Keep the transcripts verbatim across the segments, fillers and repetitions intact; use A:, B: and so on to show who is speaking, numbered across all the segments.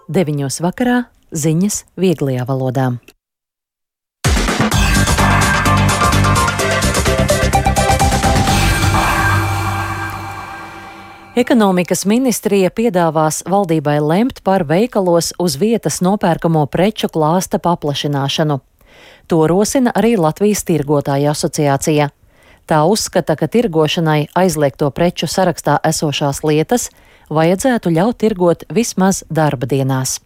A: deviņos vakarā ziņas vieglajā valodā. Ekonomikas ministrija piedāvās valdībai lemt par veikalos uz vietas nopērkamo preču klāsta paplašināšanu. To rosina arī Latvijas tirgotāju asociācija. Tā uzskata, ka tirgošanai aizliegto preču sarakstā esošās lietas vajadzētu ļaut tirgot vismaz darba dienās.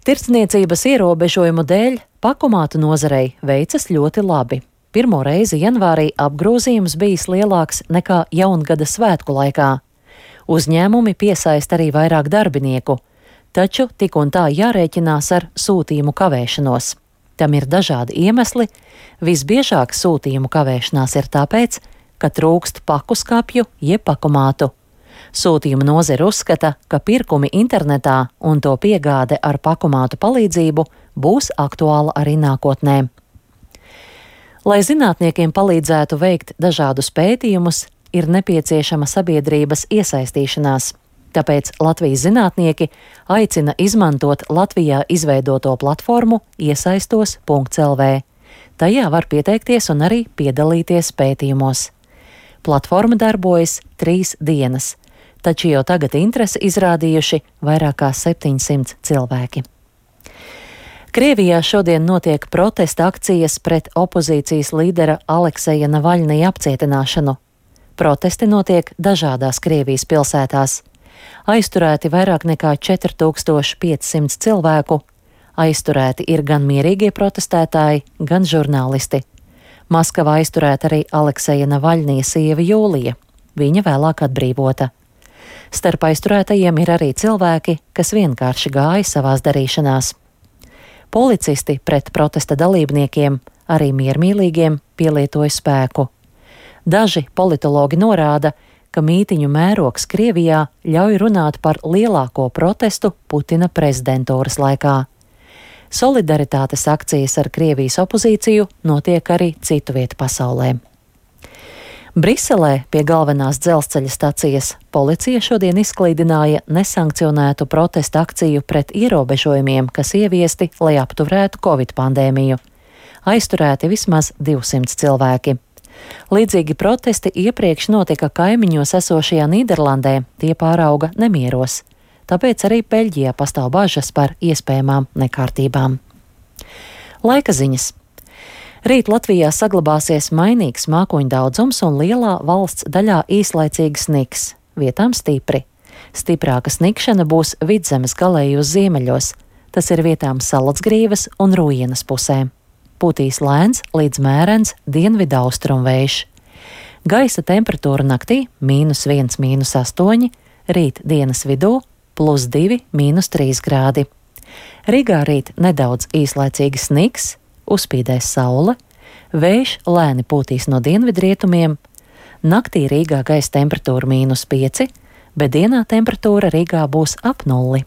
A: Tirdzniecības ierobežojumu dēļ pakomātu nozarei veicas ļoti labi. Pirmo reizi janvārī apgrozījums bijis lielāks nekā jaungada svētku laikā. Uzņēmumi piesaista arī vairāk darbinieku, taču tik un tā jārēķinās ar sūtījumu kavēšanos. Tam ir dažādi iemesli. Visbiežāk sūtījumu kavēšanās ir tāpēc, ka trūkst paku skapju jeb pakomātu. Sūtījuma nozare uzskata, ka pirkumi internetā un to piegāde ar pakomātu palīdzību būs aktuāla arī nākotnē. Lai zinātniekiem palīdzētu veikt dažādus pētījumus, ir nepieciešama sabiedrības iesaistīšanās. Tāpēc Latvijas zinātnieki aicina izmantot Latvijā izveidoto platformu iesaistos punkts el vē. Tajā var pieteikties un arī piedalīties pētījumos. Platforma darbojas trīs dienas, taču jau tagad interesi izrādījuši vairāk kā septiņsimt cilvēki. Krievijā šodien notiek protesta akcijas pret opozīcijas līdera Alekseja Navaļnija apcietināšanu. Protesti notiek dažādās Krievijas pilsētās. Aizturēti vairāk nekā četri tūkstoši pieci simti cilvēku. Aizturēti ir gan mierīgie protestētāji, gan žurnālisti. Maskavā aizturēta arī Alekseja Navaļnija sieva Jūlija. Viņa vēlāk atbrīvota. Starp aizturētajiem ir arī cilvēki, kas vienkārši gāja savās darīšanās. Policisti pret protesta dalībniekiem, arī miermīlīgiem, pielietoja spēku. Daži politologi norāda, ka mītiņu mērogs Krievijā ļauj runāt par lielāko protestu Putina prezidentūras laikā. Solidaritātes akcijas ar Krievijas opozīciju notiek arī citu vietu pasaulē. Briselē pie galvenās dzelzceļa stacijas policija šodien izklīdināja nesankcionētu protesta akciju pret ierobežojumiem, kas ieviesti, lai apturētu Covid pandēmiju. Aizturēti vismaz divsimt cilvēki. Līdzīgi protesti iepriekš notika kaimiņos esošajā Nīderlandē, tie pārauga nemieros. Tāpēc arī Beļģijā pastāv bažas par iespējamām nekārtībām. Laika ziņas. Rīt Latvijā saglabāsies mainīgs mākoņu daudzums un lielā valsts daļā īslaicīgs sniks, vietām stipri. Stiprāka snikšana būs Vidzemes galējos ziemeļos, tas ir vietām Salacgrīvas un Rujienas pusē. Pūtīs lēns līdz mērens dienvidu austrumu vējš. Gaisa temperatūra naktī mīnus viens, mīnus astoņi, rīt dienas vidū plus divi, mīnus trīs grādi. Rīgā rīt nedaudz īslaicīgs sniks, uzspīdēs saule, vējš lēni pūtīs no dienvidrietumiem, naktī Rīgā gaisa temperatūra mīnus pieci, bet dienā temperatūra Rīgā būs ap nulli.